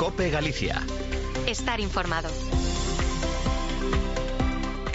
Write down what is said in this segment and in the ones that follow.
COPE Galicia. Estar informado.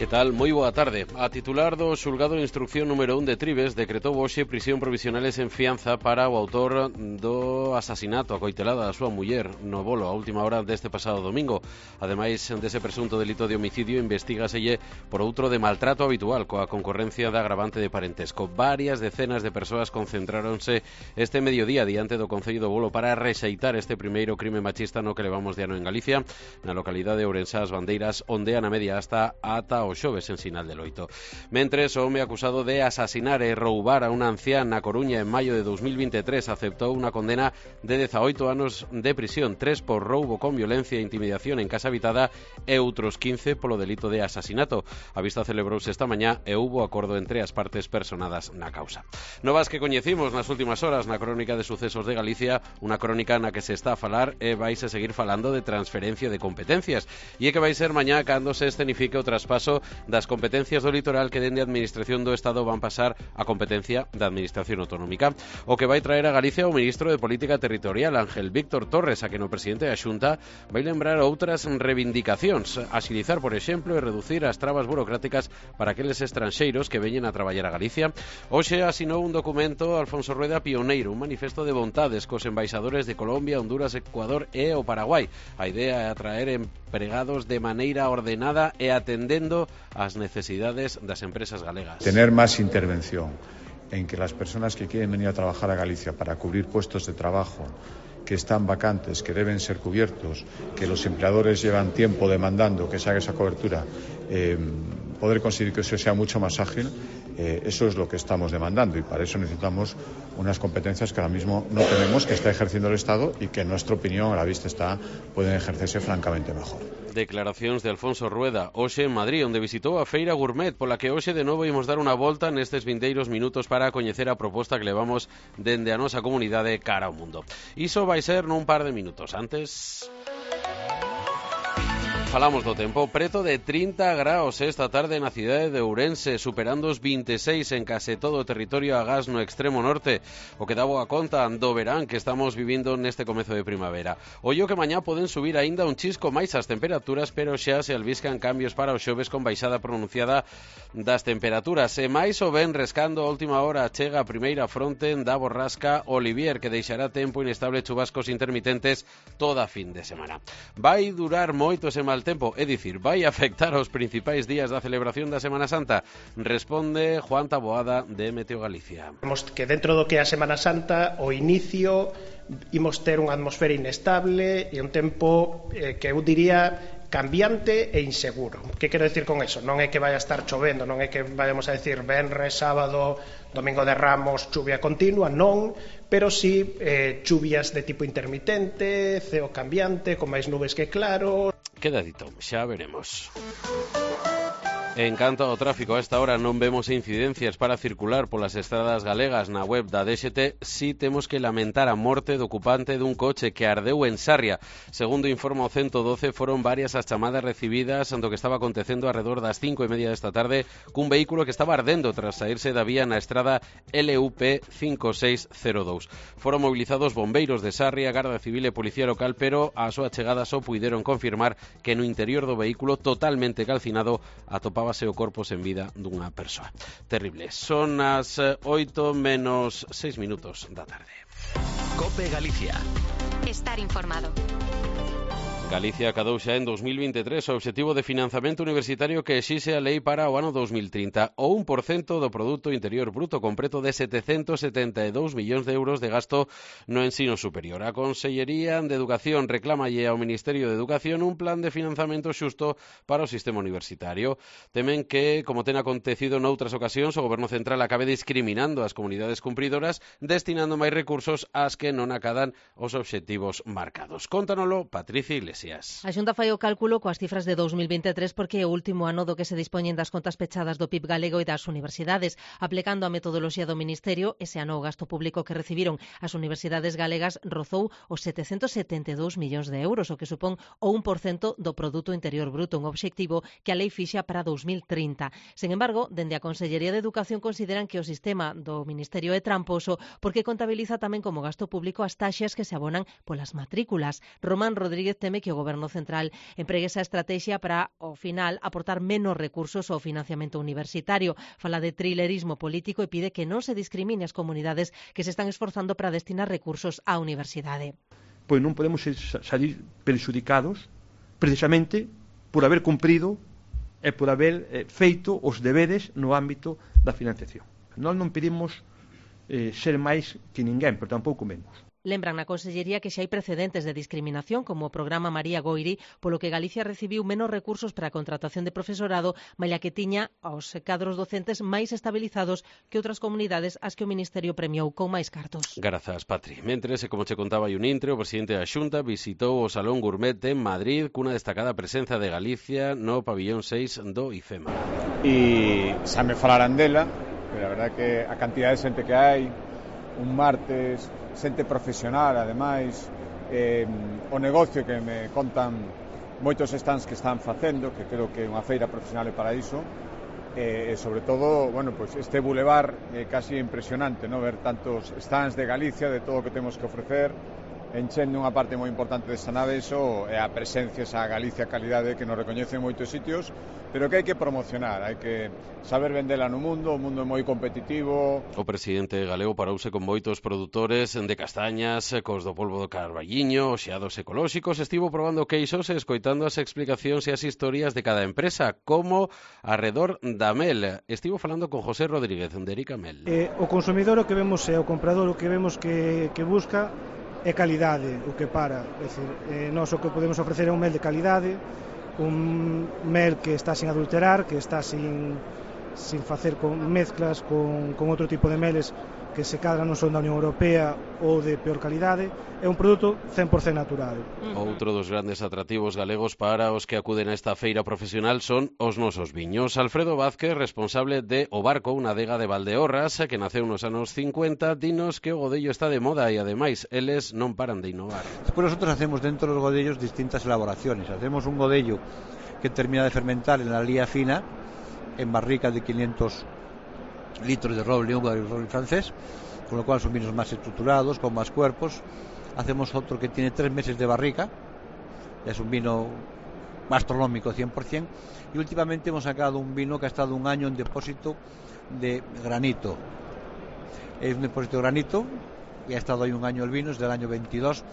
Que tal? Moi boa tarde. A titular do xulgado de instrucción número 1 de Trives decretou hoxe prisión provisionales en fianza para o autor do asasinato a coitelada da súa muller no Bolo a última hora deste pasado domingo. Ademais dese presunto delito de homicidio, investigaselle por outro de maltrato habitual coa concorrencia da agravante de parentesco. Varias decenas de persoas concentráronse este mediodía diante do Concello do Bolo para rexeitar este primeiro crime machista no que levamos de ano en Galicia, na localidade de Ourensá as Bandeiras, onde a media ata o xoves en Sinal de Loito. Mentres, o home acusado de asasinar e roubar a unha ancián na Coruña en maio de 2023 aceptou unha condena de 18 anos de prisión, 3 por roubo con violencia e intimidación en casa habitada e outros 15 polo delito de asasinato. A vista celebrouse esta mañá e houbo acordo entre as partes personadas na causa. Novas que coñecimos nas últimas horas na crónica de sucesos de Galicia, unha crónica na que se está a falar e vais a seguir falando de transferencia de competencias, e é que vai ser mañá cando se escenifique o traspaso das competencias do litoral que dende a Administración do Estado van pasar a competencia da Administración Autonómica, o que vai traer a Galicia o ministro de Política Territorial, Ángel Víctor Torres, a que no presidente da Xunta vai lembrar outras reivindicacións, axilizar, por exemplo, e reducir as trabas burocráticas para aqueles estranxeiros que veñen a traballar a Galicia. Hoxe asinou un documento Alfonso Rueda pioneiro, un manifesto de vontades cos embaixadores de Colombia, Honduras, Ecuador e o Paraguai. A idea é atraer empregados de maneira ordenada e atendendo as necesidades das empresas galegas. Tener más intervención en que las personas que quieren venir a trabajar a Galicia para cubrir puestos de trabajo que están vacantes, que deben ser cubiertos, que los empleadores llevan tiempo demandando que se haga esa cobertura, poder conseguir que eso sea mucho más ágil, eso es lo que estamos demandando, y para eso necesitamos unas competencias que ahora mismo no tenemos, que está ejerciendo el Estado y que en nuestra opinión, a la vista está, pueden ejercerse francamente mejor. Declaracións de Alfonso Rueda hoxe en Madrid, onde visitou a Feira Gourmet, pola que hoxe de novo imos dar unha volta nestes vindeiros minutos para coñecer a proposta que levamos dende a nosa comunidade cara ao mundo. Iso vai ser nun par de minutos. Antes falamos do tempo. Preto de 30 graus esta tarde na cidade de Ourense, superando os 26 en case todo o territorio agás no extremo norte, o que dá boa conta do verán que estamos vivindo neste comezo de primavera. Ollo que mañá poden subir aínda un chisco máis as temperaturas, pero xa se albiscan cambios para o xoves con baixada pronunciada das temperaturas. E máis o ven rescando a última hora chega a primeira fronte da borrasca Olivier, que deixará tempo inestable, chubascos intermitentes toda a fin de semana. Vai durar moito ese mal tempo, é dicir, vai afectar aos principais días da celebración da Semana Santa? Responde Juan Taboada de Meteo Galicia. Vemos que dentro do que é a Semana Santa, o inicio imos ter unha atmosfera inestable e un tempo que eu diría cambiante e inseguro. Que quero decir con eso? Non é que vai a estar chovendo, non é que vayamos a decir venres, sábado, domingo de Ramos, chuvia continua, non, pero sí chuvias de tipo intermitente, ceo cambiante, con máis nubes que claro. Queda dito, xa veremos. En canto ao tráfico, a esta hora non vemos incidencias para circular polas estradas galegas. Na web da DXT si temos que lamentar a morte do ocupante dun coche que ardeu en Sarria. Segundo informa o 112, foron varias as chamadas recibidas ando que estaba acontecendo alrededor das 5:30 desta tarde cun vehículo que estaba ardendo tras saírse da vía na estrada LUP 5602. Foron movilizados bombeiros de Sarria, Garda Civil e Policía Local, pero a súa chegada só puideron confirmar que no interior do vehículo totalmente calcinado atopábase o corpo sen vida dunha persoa. Terrible. Son as 8 menos 6 minutos da tarde. COPE Galicia. Estar informado. Galicia acadou xa en 2023 o obxectivo de financiamento universitario que exixe a lei para o ano 2030, o 1% do Produto Interior Bruto, con preto de 772 millóns de euros de gasto no ensino superior. A Consellería de Educación reclamalle ao Ministerio de Educación un plan de financiamento xusto para o sistema universitario. Temen que, como ten acontecido noutras ocasións, o Goberno Central acabe discriminando as comunidades cumpridoras, destinando máis recursos ás que non acadan os obxectivos marcados. Cóntanolo Patricia Iglesias. Iglesias. A Xunta fai o cálculo coas cifras de 2023 porque é o último ano do que se dispoñen das contas pechadas do PIB galego e das universidades. Aplicando a metodoloxía do Ministerio, ese ano o gasto público que recibiron as universidades galegas rozou os 772 millóns de euros, o que supón o 1% do Produto Interior Bruto, un obxectivo que a lei fixa para 2030. Sen embargo, dende a Consellería de Educación consideran que o sistema do Ministerio é tramposo porque contabiliza tamén como gasto público as taxas que se abonan polas matrículas. Román Rodríguez teme que o Goberno Central empregue esa estrategia para, ao final, aportar menos recursos ao financiamento universitario. Fala de trilerismo político e pide que non se discrimine as comunidades que se están esforzando para destinar recursos á universidade. Pois non podemos salir perxudicados precisamente por haber cumprido e por haber feito os deberes no ámbito da financiación. Nós non pedimos ser máis que ninguén, pero tampouco menos. Lembran na Consellería que xa hai precedentes de discriminación, como o programa María Goiri, polo que Galicia recibiu menos recursos para a contratación de profesorado, malia que tiña aos cadros docentes máis estabilizados que outras comunidades ás que o Ministerio premiou con máis cartos. Grazas, Patri. Mentres, como che contaba Intre, o presidente da Xunta visitou o Salón Gourmet en Madrid cunha destacada presenza de Galicia no pabillón 6 do IFEMA. E xa me falaran dela, pero a verdade que a cantidad de xente que hai, un martes, xente profesional, ademais, o negocio que me contan moitos stands que están facendo, que creo que unha feira profesional é para iso, e sobre todo, bueno, pues este bulevar casi impresionante, ¿no? Ver tantos stands de Galicia, de todo o que temos que ofrecer, enchendo unha parte moi importante desta nave, iso é a presencia, esa Galicia calidade que nos recoñece en moitos sitios, pero que hai que promocionar, hai que saber vendela no mundo, o mundo é moi competitivo. O presidente galego parouse con moitos produtores de castañas, cos do polvo do Carballiño, xeados ecolóxicos, estivo probando queixos e escoitando as explicacións e as historias de cada empresa, como arredor da mel. Estivo falando con José Rodríguez, de Erica Mel. O consumidor o que vemos é o comprador o que vemos que busca é calidade o que para, é dicir, nós o que podemos ofrecer é un mel de calidade, un mel que está sin adulterar, que está sin facer con mezclas con outro tipo de meles que se cadra non son da Unión Europea ou de peor calidade, é un produto 100% natural. Outro dos grandes atrativos galegos para os que acuden a esta feira profesional son os nosos viños. Alfredo Vázquez, responsable de O Barco, unha adega de Valdeorras, que naceu nos anos 50, dinos que o godello está de moda e, ademais, eles non paran de innovar. Despois nosotros hacemos dentro dos godellos distintas elaboraciones. Hacemos un godello que termina de fermentar en la lía fina, en barrica de 500 litros de roble húngaro y roble francés, con lo cual son vinos más estructurados, con más cuerpos. Hacemos otro que tiene 3 meses de barrica, es un vino gastronómico 100%, y últimamente hemos sacado un vino que ha estado 1 año en depósito de granito. Es un depósito de granito y ha estado ahí 1 año el vino, es del año 22,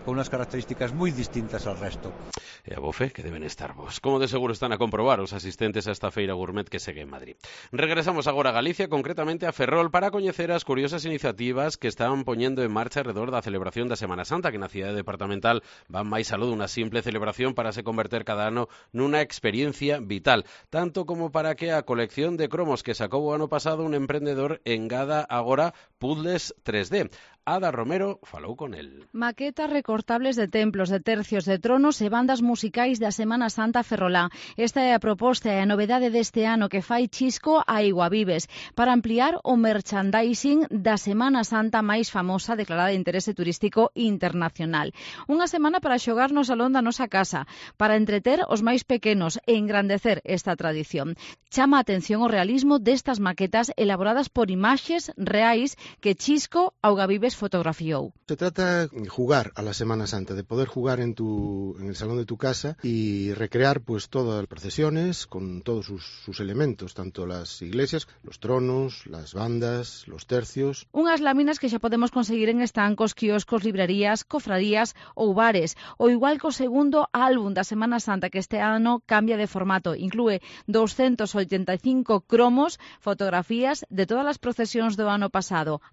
con unas características moi distintas al resto. E a bofe que deben estar vos. Como de seguro están a comprobar os asistentes a esta feira gourmet que segue en Madrid. Regresamos agora a Galicia, concretamente a Ferrol, para coñecer as curiosas iniciativas que están poñendo en marcha alrededor da celebración da Semana Santa, que na cidade departamental van máis aló dunha simple celebración para se converter cada ano nunha experiencia vital, tanto como para que a colección de cromos que sacou o ano pasado un emprendedor engada agora puzzles 3D. Ada Romero falou con el. Maquetas recortables de templos, de tercios, de tronos e bandas musicais da Semana Santa ferrolá. Esta é a proposta e a novedade deste ano que fai Chisco a Iguavives para ampliar o merchandising da Semana Santa máis famosa declarada de interese turístico internacional. Unha semana para xogar no salón da nosa casa, para entreter os máis pequenos e engrandecer esta tradición. Chama a atención o realismo destas maquetas elaboradas por imaxes reais que Chisco a Iguavives fotografiou. Se trata de jugar a la Semana Santa, de poder jugar en el salón de tu casa y recrear pues todas las procesiones con todos sus elementos, tanto las iglesias, los tronos, las bandas, los tercios. Unhas láminas que xa podemos conseguir en estancos, quioscos, librerías, cofradías ou bares, ou igual co segundo álbum da Semana Santa que este ano cambia de formato, inclúe 285 cromos, fotografías de todas as procesións do ano pasado.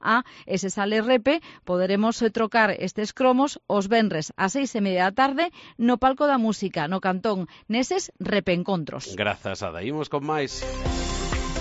E se sale repe, poderemos trocar estes cromos os venres ás 6:30 da tarde no Palco da Música, no Cantón, neses repeencontros. Grazas, Ada. Imos con máis.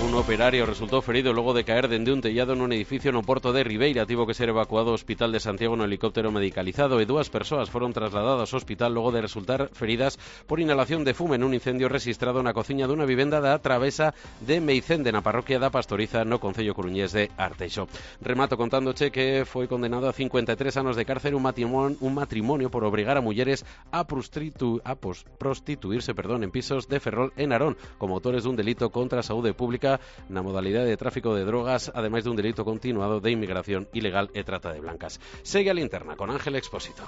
Un operario resultou ferido logo de caer dende un tellado nun edificio no porto de Ribeira. Tivo que ser evacuado ao Hospital de Santiago no helicóptero medicalizado e 2 persoas foron trasladadas ao hospital logo de resultar feridas por inhalación de fume nun incendio rexistrado na cociña dunha vivenda da Travesa de Meicende, na parroquia da Pastoriza, no concello coruñés de Arteixo. Remato contándoche que foi condenado a 53 anos de cárcere un matrimonio por obrigar a mulleres a prostituirse en pisos de Ferrol e Narón, como autores dun delito contra a saúde pública na modalidade de tráfico de drogas, ademais dun delito continuado de inmigración ilegal e trata de blancas. Segue a Linterna con Ángel Expósito.